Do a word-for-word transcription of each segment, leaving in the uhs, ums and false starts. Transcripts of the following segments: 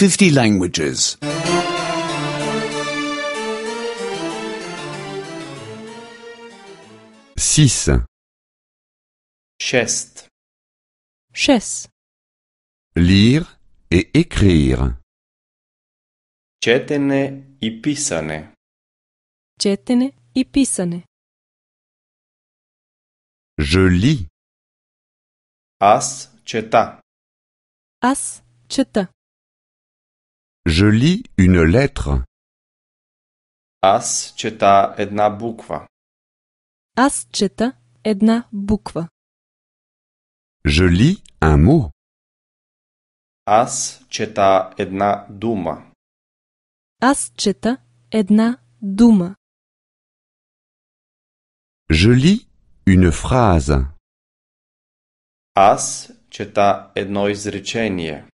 fifty languages. six. Šest. Šest. Lire et écrire. Четене и писане. Четене и писане. Je lis. Аз чета. Аз чета. Je lis une lettre. Аз чета една буква. Аз чета една буква. Je lis un mot. Аз чета една дума. Аз чета една дума. Je lis une phrase. Аз чета едно изречение.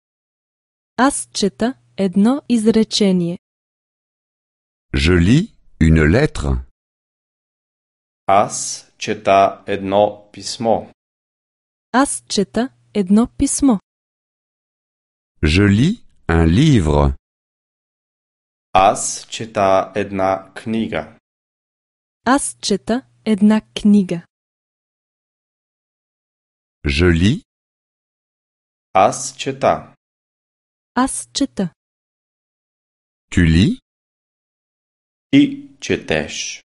Аз чета едно изречение. Je lis une lettre. Аз чета едно писмо. Аз чета едно писмо. Je lis un livre. Аз чета една книга. Аз чета една книга. Je lis. Аз чета. Аз чета. Tu lis. Ти четеш.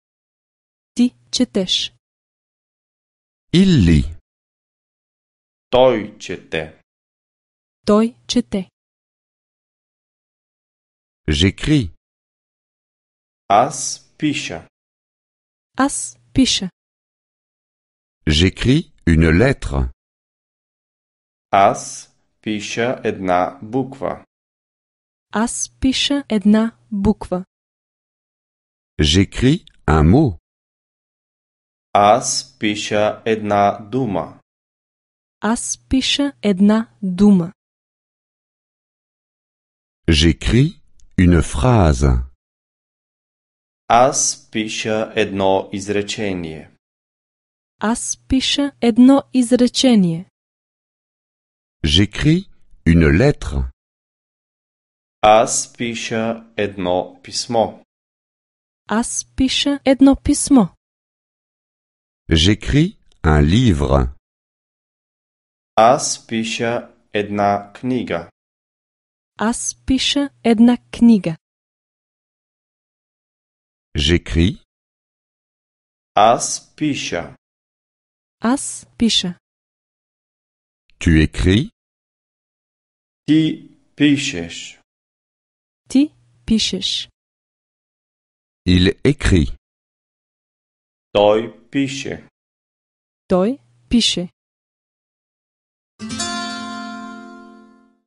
Ти четеш. Il lit. Той чете. Той чете. J'écris. Аз пиша. Аз пиша. J'écris une lettre. Аз пиша една буква. Аз пиша една буква. J'écris un mot. Аз пиша една дума. Аз пиша една дума. J'écris une phrase. Аз пиша едно изречение. Аз пиша едно изречение. J'écris une lettre. Аз пиша едно писмо. Аз пиша едно писмо. J'écris un livre. Аз пиша една книга. Аз пиша една книга. J'écris. Аз пиша. Аз пиша. Tu écris. Ти пишеш. Ти пишеш. Il écrit. Той пише. Той пише.